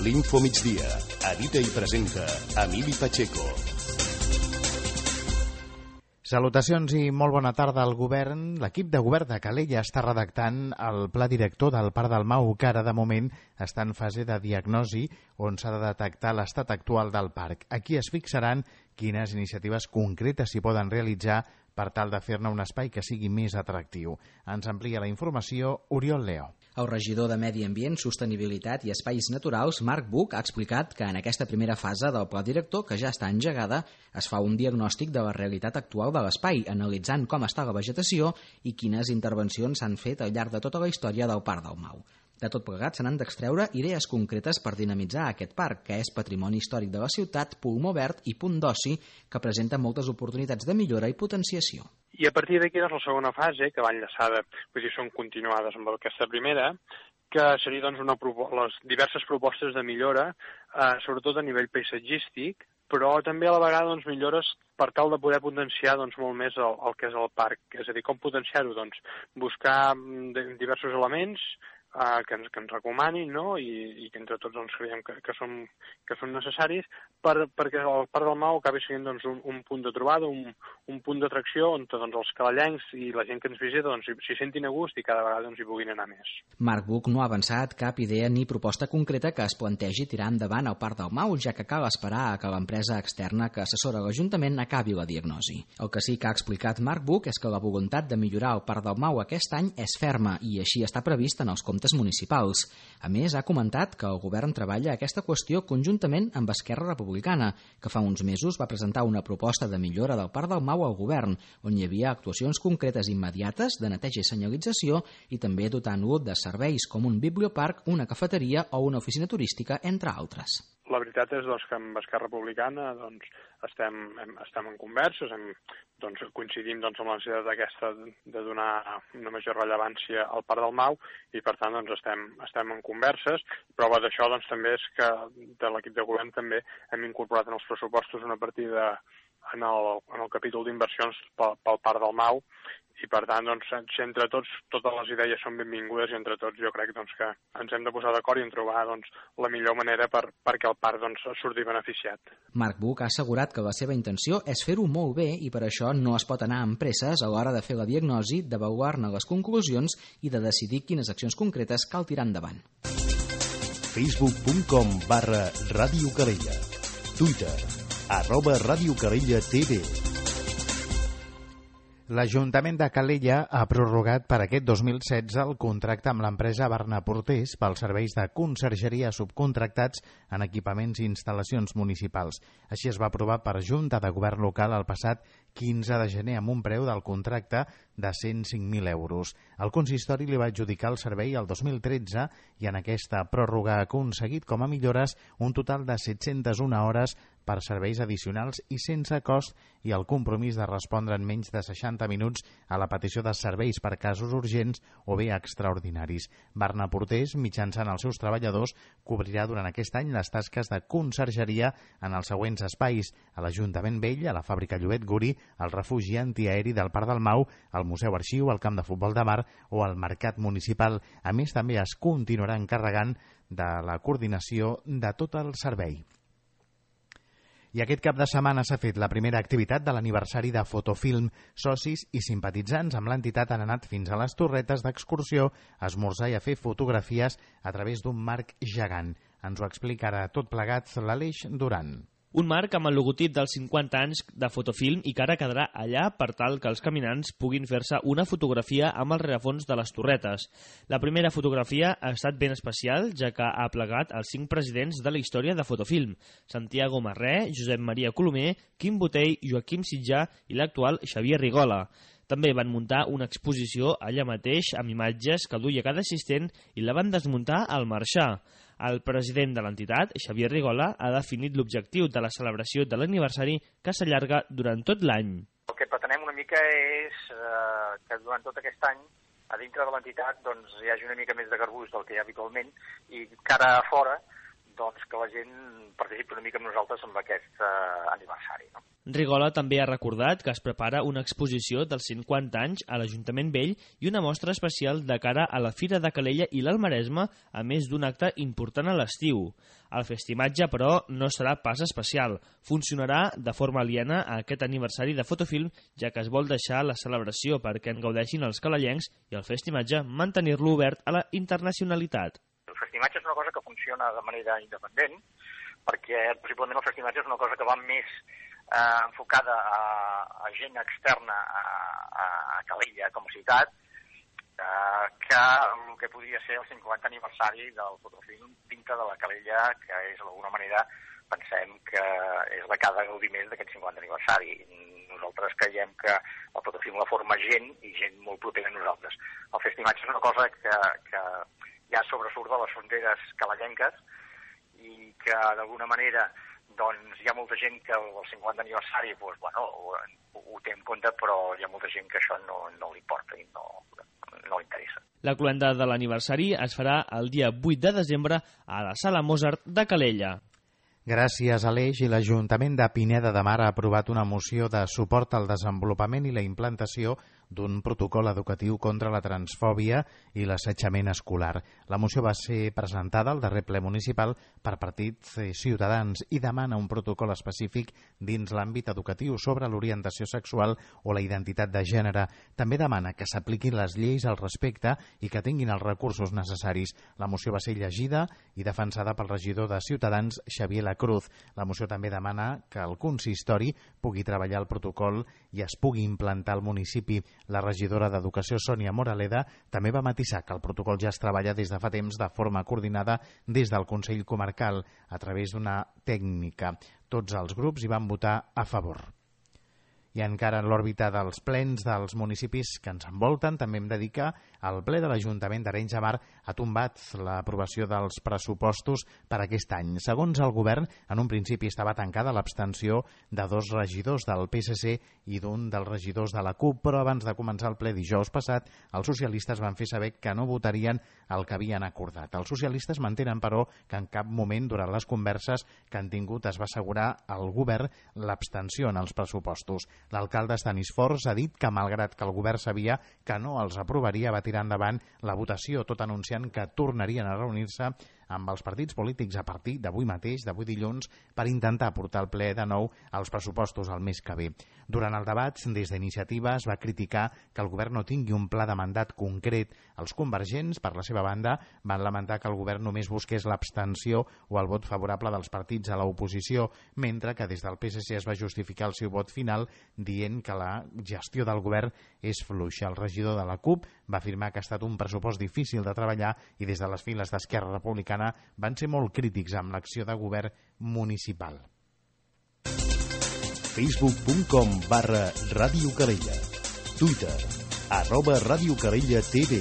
L'Info Migdia. Edita i presenta Emili Pacheco. Salutacions i molt bona tarda al govern. L'equip de govern de Calella està redactant el pla director del Parc del Mau, que ara de moment està en fase de diagnosi on s'ha de detectar l'estat actual del parc. Aquí es fixaran quines iniciatives concretes s'hi poden realitzar per tal de fer-ne un espai que sigui més atractiu. Ens amplia la informació Oriol Leo. El regidor de Medi Ambient, Sostenibilitat i Espais Naturals, Marc Buch, ha explicat que en aquesta primera fase del pla director, que ja està engegada, es fa un diagnòstic de la realitat actual de l'espai, analitzant com està la vegetació i quines intervencions s'han fet al llarg de tota la història del Parc del Mau. De tot plegat, se n'han d'extreure idees concretes per dinamitzar aquest parc, que és patrimoni històric de la ciutat, pulmó verd i punt d'oci, que presenta moltes oportunitats de millora i potenciació. I a partir d'aquí, doncs, la segona fase, que va enllaçada, són continuades amb aquesta primera, que seria doncs, les diverses propostes de millora, sobretot a nivell paisatgístic, però també a la vegada doncs, millores per tal de poder potenciar doncs, molt més el que és el parc. És a dir, com potenciar-ho? Doncs, buscar diversos elements que ens recomanin, no? I que entre tots doncs, creiem que són necessaris perquè el Parc del Mau acabi sent doncs, un punt de trobada, un punt d'atracció on doncs, els calellencs i la gent que ens visita doncs, s'hi sentin a gust i cada vegada doncs, hi puguin anar més. Marc Buch no ha avançat cap idea ni proposta concreta que es plantegi tirar endavant el Parc del Mau, ja que cal esperar a que l'empresa externa que assessora l'Ajuntament acabi la diagnosi. El que sí que ha explicat Marc Buch és que la voluntat de millorar el Parc del Mau aquest any és ferma i així està previst en els comptes municipals. A més, ha comentat que el govern treballa aquesta qüestió conjuntament amb Esquerra Republicana, que fa uns mesos va presentar una proposta de millora del Parc del Mau al govern, on hi havia actuacions concretes immediates de neteja i senyalització i també dotant-lo de serveis com un biblioparc, una cafeteria o una oficina turística, entre altres. La veritat és doncs, que amb Esquerra Republicana doncs, estem en converses, coincidim doncs, amb la necessitat aquesta de donar una major rellevància al Parc del Mau i per tant doncs, estem en converses. Prova d'això doncs, també és que de l'equip de govern també hem incorporat en els pressupostos una partida en el capítol d'inversions pel Parc del Mau i per tant, doncs, entre tots, totes les idees són benvingudes i entre tots jo crec doncs, que ens hem de posar d'acord i en trobar doncs, la millor manera perquè el parc doncs, surti beneficiat. Marc Buch ha assegurat que la seva intenció és fer-ho molt bé i per això no es pot anar amb presses a l'hora de fer la diagnosi, d'avaluar-ne les conclusions i de decidir quines accions concretes cal tirar endavant. Facebook.com/Ràdio Calella. Twitter @Ràdio Calella TV. L'Ajuntament de Calella ha prorrogat per aquest 2016 el contracte amb l'empresa Barna Portés pels serveis de consergeria subcontractats en equipaments i instal·lacions municipals. Així es va aprovar per Junta de Govern Local el passat 15 de gener amb un preu del contracte de 105.000 euros. El consistori li va adjudicar el servei el 2013 i en aquesta pròrroga ha aconseguit com a millores un total de 701 hores per serveis addicionals i sense cost i el compromís de respondre en menys de 60 minuts a la petició de serveis per casos urgents o bé extraordinaris. Barna Portés, mitjançant els seus treballadors, cobrirà durant aquest any les tasques de consergeria en els següents espais: a l'Ajuntament Vell, a la fàbrica Llobet Guri, al refugi antiaeri del Parc del Mau, al Museu Arxiu, al Camp de Futbol de Mar o al Mercat Municipal. A més, també es continuarà encarregant de la coordinació de tot el servei. I aquest cap de setmana s'ha fet la primera activitat de l'aniversari de Fotofilm. Socis i simpatitzants amb l'entitat han anat fins a les Torretes d'excursió a esmorzar i a fer fotografies a través d'un marc gegant. Ens ho explicarà tot plegat l'Aleix Duran. Un marc amb el logotip dels 50 anys de Fotofilm i que ara quedarà allà per tal que els caminants puguin fer-se una fotografia amb el rerefons de les Torretes. La primera fotografia ha estat ben especial, ja que ha plegat els 5 presidents de la història de Fotofilm: Santiago Marré, Josep Maria Colomer, Quim Botell, Joaquim Sitjà i l'actual Xavier Rigola. També van muntar una exposició allà mateix amb imatges que duia cada assistent i la van desmuntar al marxar. El president de l'entitat, Xavier Rigola, ha definit l'objectiu de la celebració de l'aniversari que s'allarga durant tot l'any. El que pretenem una mica és que durant tot aquest any a dintre de l'entitat doncs, hi hagi una mica més de garbuix del que hi ha habitualment i cara a fora doncs, que la gent participi una mica amb nosaltres en aquest aniversari. No? Rigola també ha recordat que es prepara una exposició dels 50 anys a l'Ajuntament Vell i una mostra especial de cara a la Fira de Calella i l'Alt Maresme, a més d'un acte important a l'estiu. El festimatge, però, no serà pas especial. Funcionarà de forma aliena a aquest aniversari de Fotofilm, ja que es vol deixar la celebració perquè en gaudeixin els calellencs i el festimatge mantenir-lo obert a la internacionalitat. El festimatge és una cosa que funciona de manera independent, perquè possiblement el festimatge és una cosa que va més enfocada a gent externa a Calella com a ciutat, que el que podria ser el 50 aniversari del Fotofilm dintre de la Calella, que és d'alguna manera, pensem que és la que ha de gaudir més d'aquest 50 aniversari. Nosaltres creiem que el Fotofilm la forma gent i gent molt propera a nosaltres. El festimatge és una cosa que ja sobresurt de les fronteres calellenques i que d'alguna manera doncs hi ha molta gent que el 50 aniversari doncs, bueno, ho té en compte, però hi ha molta gent que això no li importa i no li interessa. La cloenda de l'aniversari es farà el dia 8 de desembre a la Sala Mozart de Calella. Gràcies a l'Eix i l'Ajuntament de Pineda de Mar ha aprovat una moció de suport al desenvolupament i la implantació d'un protocol educatiu contra la transfòbia i l'assetjament escolar. La moció va ser presentada al darrer ple municipal per partits ciutadans i demana un protocol específic dins l'àmbit educatiu sobre l'orientació sexual o la identitat de gènere. També demana que s'apliquin les lleis al respecte i que tinguin els recursos necessaris. La moció va ser llegida i defensada pel regidor de Ciutadans, Xavier Lacruz. La moció també demana que el consistori pugui treballar el protocol i es pugui implantar al municipi. La regidora d'Educació, Sònia Moraleda, també va matisar que el protocol ja es treballa des de fa temps de forma coordinada des del Consell Comarcal a través d'una tècnica. Tots els grups hi van votar a favor. I encara en l'òrbita dels plens dels municipis que ens envolten, també hem de dir que el ple de l'Ajuntament d'Arenys de Mar ha tombat l'aprovació dels pressupostos per aquest any. Segons el govern, en un principi estava tancada l'abstenció de 2 regidors del PSC i d'un dels regidors de la CUP, però abans de començar el ple dijous passat, els socialistes van fer saber que no votarien el que havien acordat. Els socialistes mantenen, però, que en cap moment durant les converses que han tingut es va assegurar al govern l'abstenció en els pressupostos. L'alcalde Stanis Forns ha dit que, malgrat que el govern sabia que no els aprovaria, va tirar endavant la votació, tot anunciant que tornarien a reunir-se amb els partits polítics a partir d'avui mateix, d'avui dilluns, per intentar portar al ple de nou els pressupostos el mes que ve. Durant el debat, des d'Iniciativa es va criticar que el govern no tingui un pla de mandat concret. Els convergents, per la seva banda, van lamentar que el govern només busqués l'abstenció o el vot favorable dels partits a l'oposició, mentre que des del PSC es va justificar el seu vot final dient que la gestió del govern és fluixa. El regidor de la CUP va afirmar que ha estat un pressupost difícil de treballar i des de les files d'Esquerra Republicana van ser molt crítics amb l'acció de govern municipal. Facebook.com/Ràdio Calella. Twitter @Ràdio Calella TV.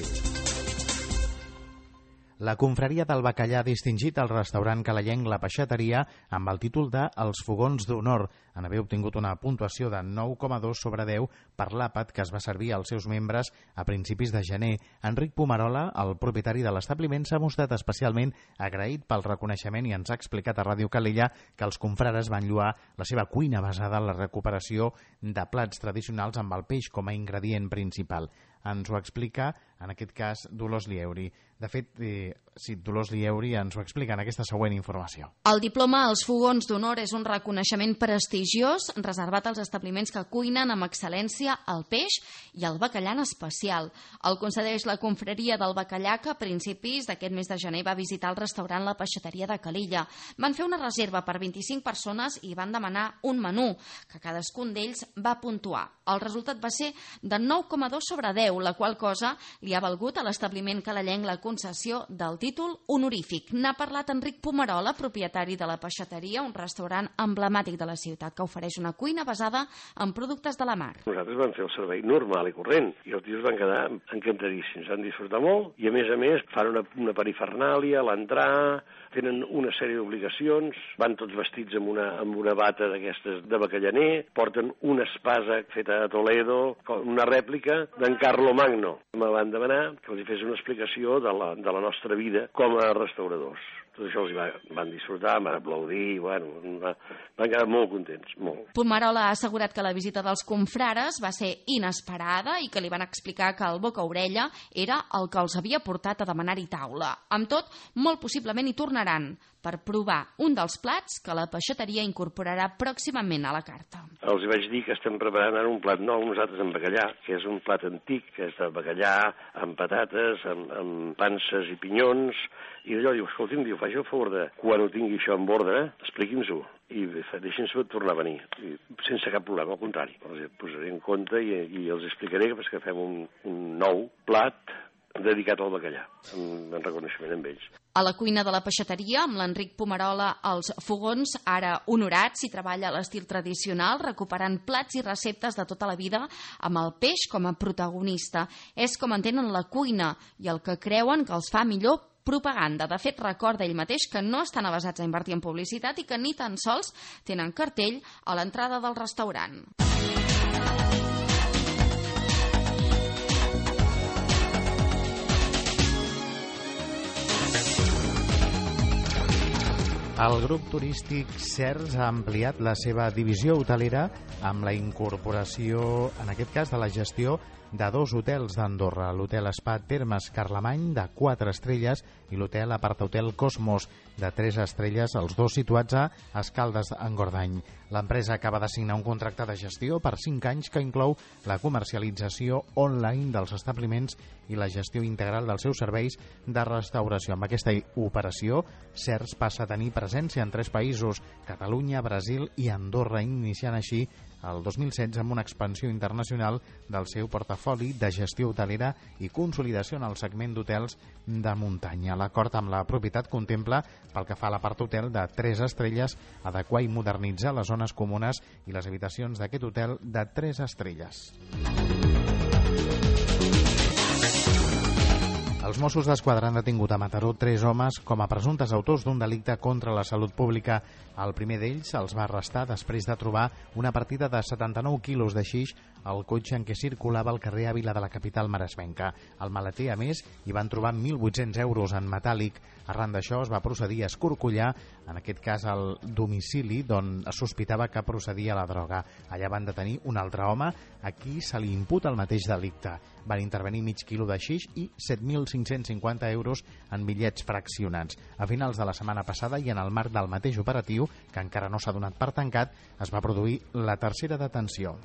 La confraria del bacallà ha distingit el restaurant calellenc La Peixateria amb el títol de Els Fogons d'Honor, en haver obtingut una puntuació de 9,2 sobre 10 per l'àpat que es va servir als seus membres a principis de gener. Enric Pomarola, el propietari de l'establiment, s'ha mostrat especialment agraït pel reconeixement i ens ha explicat a Ràdio Calella que els confrares van lloar la seva cuina basada en la recuperació de plats tradicionals amb el peix com a ingredient principal. Ens ho explica, en aquest cas, Dolors Lieuri. De fet, Dolors Lieuri ens ho explica en aquesta següent informació. El diploma als Fogons d'Honor és un reconeixement prestigiós reservat als establiments que cuinen amb excel·lència el peix i el bacallà en especial. El concedeix la confraria del bacallà, que a principis d'aquest mes de gener va visitar el restaurant La Peixateria de Calella. Van fer una reserva per 25 persones i van demanar un menú, que cadascun d'ells va puntuar. El resultat va ser de 9,2 sobre 10, la qual cosa li ha valgut a l'establiment calellenc la concessió del títol honorífic. N'ha parlat Enric Pomarola, propietari de La Peixateria, un restaurant emblemàtic de la ciutat. que ofereix una cuina basada en productes de la mar. Nosaltres vam fer el servei normal i corrent i els tios van quedar encantadíssims, van disfrutar molt i a més fan una perifernàlia a l'entrar, tenen una sèrie d'obligacions, van tots vestits amb una bata d'aquestes de bacallaner, porten una espasa feta a Toledo, una rèplica d'en Carlo Magno. Me van demanar que els fes una explicació de la nostra vida com a restauradors. Tot això els van disfrutar, van aplaudir, van quedar molt contents, molt. Pumarola ha assegurat que la visita dels confrares va ser inesperada i que li van explicar que el boca-orella era el que els havia portat a demanar-hi taula. Amb tot, molt possiblement hi tornaran per provar un dels plats que la peixateria incorporarà pròximament a la carta. Els vaig dir que estem preparant ara un plat nou, nosaltres amb bacallà, que és un plat antic, que és de bacallà amb patates, amb panses i pinyons, i d'allò diu, escolti'm, faci el favor de, quan ho tingui això en ordre, expliqui'ns-ho, i deixi'ns-ho tornar a venir, sense cap problema, al contrari. Els posaré en compte i els explicaré que fem un nou plat dedicat al bacallà, en reconeixement amb ells. A la cuina de la peixateria, amb l'Enric Pumarola als fogons, ara honorats, s'hi treballa a l'estil tradicional, recuperant plats i receptes de tota la vida amb el peix com a protagonista. És com entenen la cuina i el que creuen que els fa millor propaganda. De fet, recorda ell mateix que no estan avesats a invertir en publicitat i que ni tan sols tenen cartell a l'entrada del restaurant. El grup turístic CERS ha ampliat la seva divisió hotelera amb la incorporació, en aquest cas, de la gestió de 2 hotels d'Andorra, l'hotel Spa Termes Carlemany, de 4 estrelles, i l'hotel Apartahotel Cosmos, de 3 estrelles, els 2 situats a Escaldes-Engordany. L'empresa acaba de signar un contracte de gestió per 5 anys que inclou la comercialització online dels establiments i la gestió integral dels seus serveis de restauració. Amb aquesta operació, CERS passa a tenir presència en 3 països, Catalunya, Brasil i Andorra, iniciant així el 2016 amb una expansió internacional del seu portafoli de gestió hotelera i consolidació en el segment d'hotels de muntanya. L'acord amb la propietat contempla, pel que fa a l'apart-hotel de 3 estrelles, adequar i modernitzar les zones comunes i les habitacions d'aquest hotel de 3 estrelles. Els Mossos d'Esquadra han detingut a Mataró 3 homes com a presumptes autors d'un delicte contra la salut pública. El primer d'ells els va arrestar després de trobar una partida de 79 quilos de xix al cotxe en què circulava al carrer Àvila de la capital maresmenca. Al maleter, a més, hi van trobar 1.800 euros en metàl·lic. Arran d'això es va procedir a escorcollar, en aquest cas al domicili d'on es sospitava que procedia la droga. Allà van detenir un altre home a qui se li imputa el mateix delicte. Van intervenir mig quilo de xix i 7.550 euros en bitllets fraccionats. A finals de la setmana passada i en el marc del mateix operatiu, que encara no s'ha donat per tancat, es va produir la tercera detenció.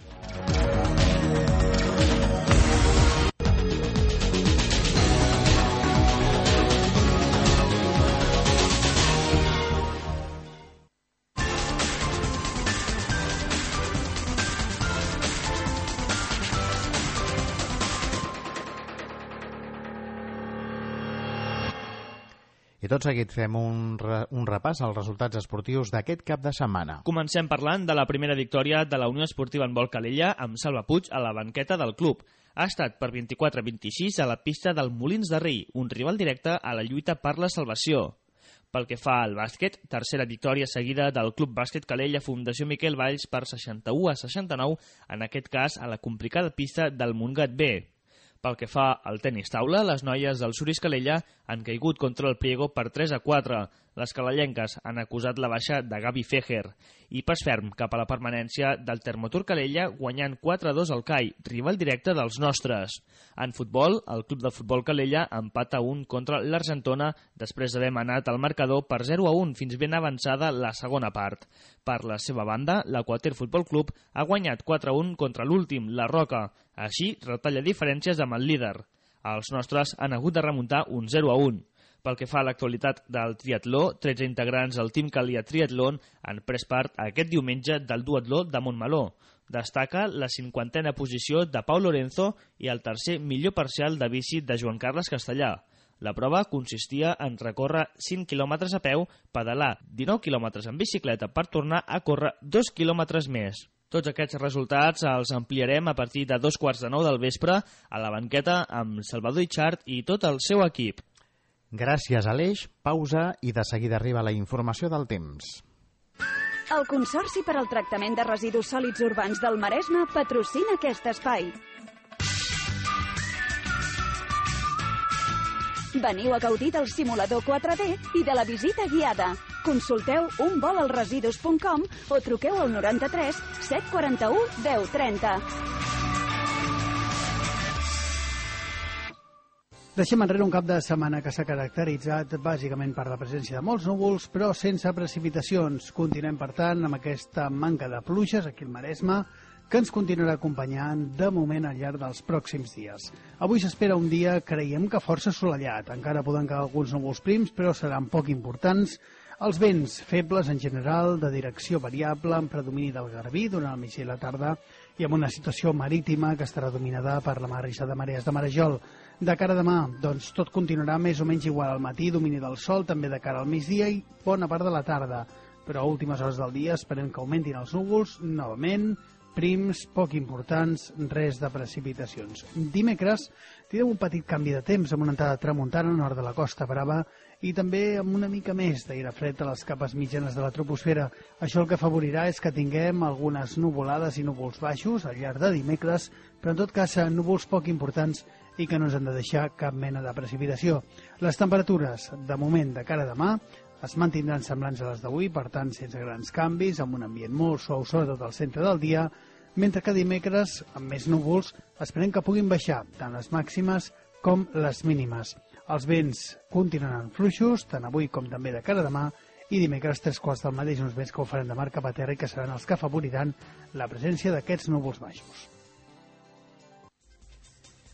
I tot seguit fem un repàs als resultats esportius d'aquest cap de setmana. Comencem parlant de la primera victòria de la Unió Esportiva Handbol Calella amb Salva Puig a la banqueta del club. Ha estat per 24-26 a la pista del Molins de Rei, un rival directe a la lluita per la salvació. Pel que fa al bàsquet, tercera victòria seguida del Club Bàsquet Calella Fundació Miquel Valls per 61-69, en aquest cas a la complicada pista del Montgat B. Pel que fa al tenis taula, les noies del Suris Calella han caigut contra el Priego per 3-4. Les calellenques han acusat la baixa de Gavi Fejer i pas ferm cap a la permanència del Termotur Calella guanyant 4-2 al CAI, rival directe dels nostres. En futbol, el Club de Futbol Calella empata 1 contra l'Argentona després d'haver manat el marcador per 0-1 fins ben avançada la segona part. Per la seva banda, l'Aquater Futbol Club ha guanyat 4-1 contra l'últim, la Roca. Així, retalla diferències amb el líder. Els nostres han hagut de remuntar un 0-1. Pel que fa a l'actualitat del triatló, 13 integrants del Team Calia Triatlon han pres part aquest diumenge del duatló de Montmeló. Destaca la 50a posició de Pau Lorenzo i el tercer millor parcial de bici de Joan Carles Castellà. La prova consistia en recórrer 5 quilòmetres a peu, pedalar 19 quilòmetres en bicicleta per tornar a córrer 2 quilòmetres més. Tots aquests resultats els ampliarem a partir de 2:15 del vespre a la banqueta amb Salvador Itxart i tot el seu equip. Gràcies, Aleix. Pausa i de seguida arriba la informació del temps. El Consorci per al Tractament de Residus Sòlids Urbans del Maresme patrocina aquest espai. Veniu a gaudir del simulador 4D i de la visita guiada. Consulteu unvolalresidus.com o truqueu al 93 741 1030. Deixem enrere un cap de setmana que s'ha caracteritzat bàsicament per la presència de molts núvols, però sense precipitacions. Continuem, per tant, amb aquesta manca de pluges aquí al Maresme, que ens continuarà acompanyant de moment al llarg dels pròxims dies. Avui s'espera un dia, creiem que força assolellat. Encara poden quedar alguns núvols prims, però seran poc importants. Els vents febles en general, de direcció variable, amb predomini del garbí durant el migdia i la tarda, i amb una situació marítima que estarà dominada per la marissa de marees de Marejol. De cara a demà, doncs tot continuarà més o menys igual al matí, domini del sol, també de cara al migdia i bona part de la tarda. Però a últimes hores del dia esperem que augmentin els núvols, novament, prims, poc importants, res de precipitacions. Dimecres tindrem un petit canvi de temps amb una entrada tramuntana al nord de la Costa Brava i també amb una mica més d'aire fred a les capes mitjanes de la troposfera. Això el que afavorirà és que tinguem algunes nuvolades i núvols baixos al llarg de dimecres, però en tot cas núvols poc importants i que no ens han de deixar cap mena de precipitació. Les temperatures, de moment, de cara a demà, es mantindran semblants a les d'avui, per tant, sense grans canvis, amb un ambient molt suau, sobretot al centre del dia, mentre que dimecres, amb més núvols, esperem que puguin baixar tant les màximes com les mínimes. Els vents continuaran fluixos, tant avui com també de cara a demà, i dimecres 3/4 del mateix, uns vents que ho faran de mar cap a terra i que seran els que afavoriran la presència d'aquests núvols baixos.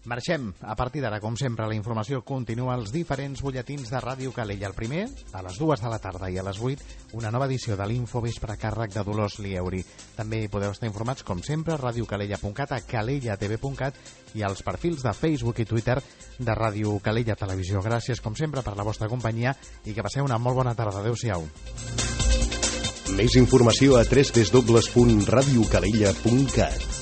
Marxem. A partir d'ara, com sempre, la informació continua als diferents butlletins de Ràdio Calella. El primer, a les 2 de la tarda i a les 8, una nova edició de l'Infovespre a càrrec de Dolors Lieuri. També podeu estar informats, com sempre, a radiocalella.cat, a calellatv.cat i als perfils de Facebook i Twitter de Ràdio Calella Televisió. Gràcies, com sempre, per la vostra companyia i que passeu una molt bona tarda. Adéu-siau. Més informació a www.radiocalella.cat.